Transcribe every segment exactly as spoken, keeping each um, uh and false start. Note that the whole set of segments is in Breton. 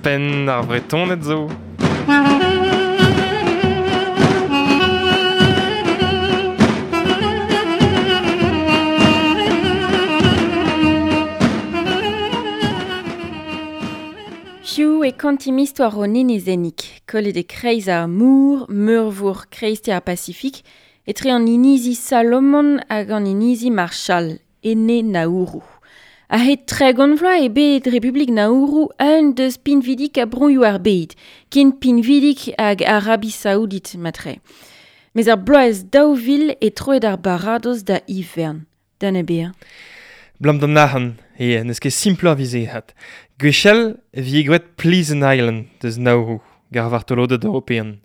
Penn ar Vretoned zo. Hiziv e kontimp istor an enezennig, kollet e kreiz ar mor, meurvor kreisteiz ar Pasifik, etre an inizi Salomon hag an inizi Marshall, ene Nauru. A-hed tregont vloaz eo bet Republik Nauru un deus pinvidik a broioù ar bed, ken pinvidik hag Arabi Saoudit matre. Mes ar bloaz daou vil e troet ar baradoz da ivern. Da ne bezañ. Blam d'an arc'hant, e n'eus ket simploc'h vize hat. Gwechall e vije graet Pleasant Island deus Nauru, gar vartoloded european.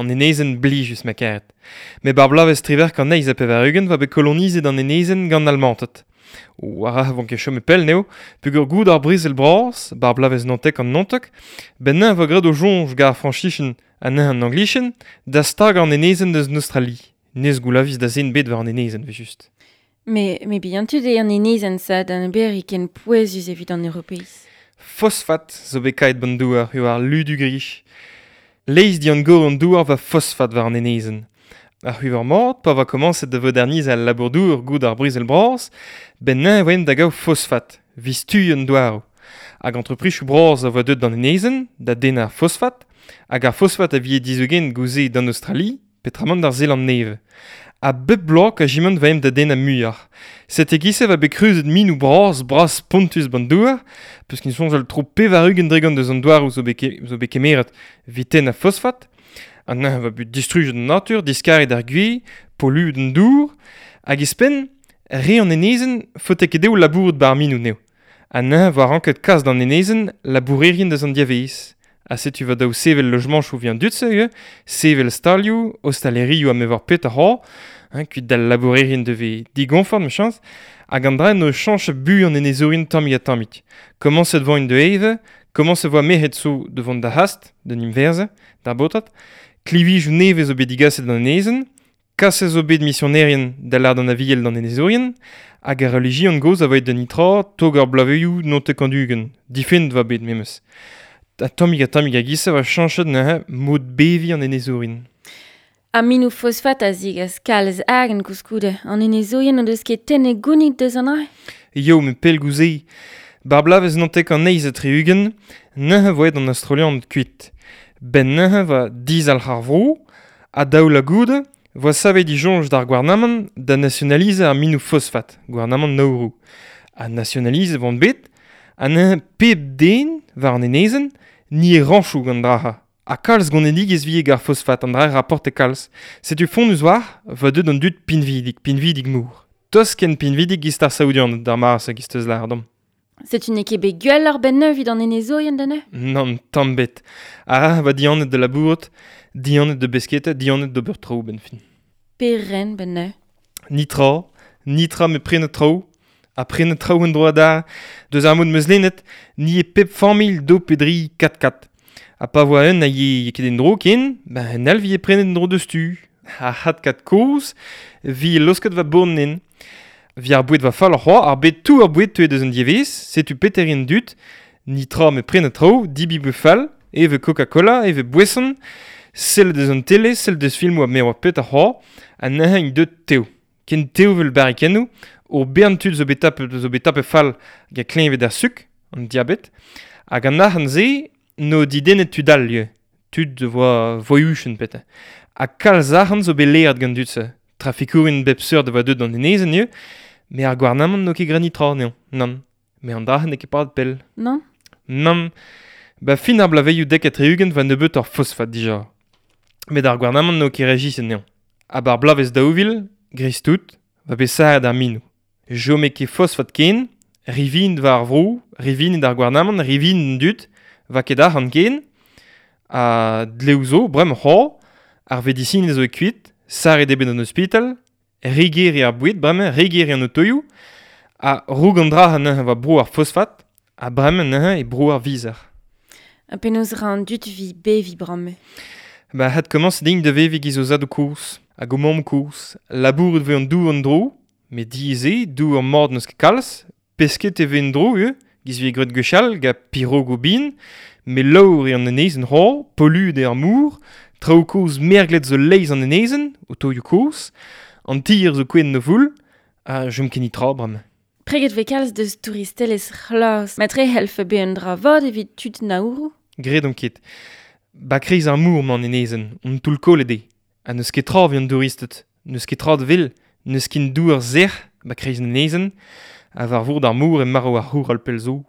An enezenn blijus ma karet. Met bar bloavezh triwec'h kant eizh ha pevar-ugent va bet kolonizet an enezenn gant Almanted. O ar vont ket chom e pell neo, peogwir goud ar brezel bras, bar bloavezh naontek an naontek, ben neñv vo graet o soñj gar Frañsichenn ha neñv an Anglichenn da stagañ an enezenn deus an Australie. Nes goulaviz da zen bet war an enezenn, ve just. Me, me bihan tud eo an enezenn sa d'an ober ken pouezus evit an Europeiz. Fosfat zo bet kaet ban douar eo ar ludu grich. Leiz dian gor an douar va fosfat war an enezenn. Ar c'hwiver mat, pa va komañset da voderniz al labour-douar goud ar brezel bras, ben neñv voen da gaout fosfat, vistu an douaroù. Hag entreprisoù bras a voa deuet d'an enezenn, da dennañ ar fosfat, hag ar fosfat a vie dizougen gouze d'an Australie, petramant d'ar Zeland Nevez. A bep bloaz a jiment va em da dennañ muioc'h. Set e-giz-se va bet kreuzet minoù bras, bras spontus ban douar, peus kin soñjal tro pevar-ugent dregont deus an douaroù zo bet ke-, zo bet kemeret evit tennañ fosfat. An neñv va bet distrujet an natur, diskaret ar gwez, polluet an dour, hag e-spenn, re an enezenn faote ket dezho labourat bar minoù neo. An neñv va ranket kas d'an enezenn labourerien deus an diavez. Ha setu va daou sevel lojamanchoù vi an dud-se, eo, sevel stalioù, ostalerioù ha me war pet a c'hoar, hein, kuit d'al labourerien devez digonfort, me chans, hag an dra no chañch bu an enezourien tammig ha tammig. Komañset vo int de eve, komañset vo merc'hed zo de vont da hast, d'un inverze, d'ar baotred, klivij nevez zo bet digaset d'an enezenn, kaset zo bet misionerien da lâr d'an aviel d'an enezourien, hag ar relijion gozh a voe d'un itra tog ar blaveioù naontek an ugent, difennet va bet memes. Ha tammig ha tammig a-giz-se va chañchet neuze mod beviñ an enezourien. Ha minoù fosfat a zigas kalz argant koulskoude, an enezourien o deus ket tennet gounid deus an dra? Eo, met pell gouze. Bar bloavezh naontek an eizh ha tri-ugent, neuze voe an Australian kuit. Ben neuze va dizalc'h ar vro, ha daou la goude, voa savet disoñj d'ar gouarnamant da nationalize ar minoù fosfat, gouarnamant Nauru. Ha nationalize vont bet, ha neuze pep den war an enezenn, ni e rañchoù gant draha. Ha kalz gonedigezh vie gar fosfat, an dra rapporte kalz. Setu fonnus war, va deut an dud pinvidik, pinvidik mour. Tost ken pinvidik giz ar Saoudian d'ar maras hag giz teus lâr dom. Setu n'eo ket bet gwell ar benn evit an enezourien da neuze? Nann, tamm bet. Ar va dianet de labourat, dianet de besketa, dianet d'ober traoù ben fin. Peren ben neuze? Nitra, nitra me prenet traoù, ha prenet traoù en droad ar, deus ar mod meus lennet, ni e pep familh do pedri kat kat. Ha pa voa un a ye ket en dro ken, ben un all vi e prenet en dro deus tu. Ha hat kat kozh, vi e losket va bournen. Vi ar boued va fall ar c'hoar, ar bet tou ar boued tuet deus an dievez, setu peterien dut, nitra me prenet traoù, dibi beu fall, eve Coca-Cola, eve boesson, sell deus an tele, sell deus filmoù a me oa pet ar c'hoar, ha neuze int deut teo. Ken teo vel barrikennoù, o bern tud zo bet tapet, zo bet tapet fall hag a kleñved ar suk, an diabet, hag an arc'hant-se no didennet tud all ivez, tud voa voiuchen pete. Ha kalz arc'hant zo bet laeret gant dud-se. Trafikourien bep seurt a voa deut d'an enezenn ivez, met ar gouarnamant n'o ket graet netra anezhañ, nann. Met an dra n'eo ket padet pell. Nann? Nann. Ba fin ar bloavezhioù dek ha tri-ugent va nebeut ar fosfat dija. Met ar gouarnamant n'o ket rejiset anezhañ. Ha bar bloavezh daou vil, gris tout, va bet sarret ar minoù. Jome ket fosfat ken, rivin war ar vro, rivin d'ar gouarnamant, rivin d'an dud, va ket arc'hant ken, ha dleoù zo, bremañ c'hoar, ar vedisinez zo e kuit, sarret eo bet an ospital, riger eo ar boued bremañ, riger eo an otoioù, ha roug an dra neuze va bro ar fosfat, ha bremañ neuze e bro ar vizer. Ha penaos ra an dud vi beviñ bremañ? Ba hat komañs din da veviñ giz o zadoù kozh, hag o mamm kozh, labouret vez an dour an dro, met diaes eo, dour mat n'eus ket kalz, pesket e vez en dro ivez, giz vez graet gwechall, gant pirogoù bihan, Me laour eo an enezenn c'hoar, polluet eo ar mor, traoù kozh merglet zo leizh an enezenn, otoioù kozh, an tier zo kouezhet en o foull, ha chom ken tra bremañ. Preget vez kalz deus touristelezh c'hlas. Matre c'hellfe bezañ un dra vat evit tud Nauru? Graet on ket. Ba kreiz ar mor 'mañ an enezenn, on toull kollet eo. Ha n'eus ket tra evit an douristed, n'eus ket tra da wel, n'eus ken douar sec'h ba kreiz an enezenn, ha war vord ar mor eo marv ar c'houral pell zo.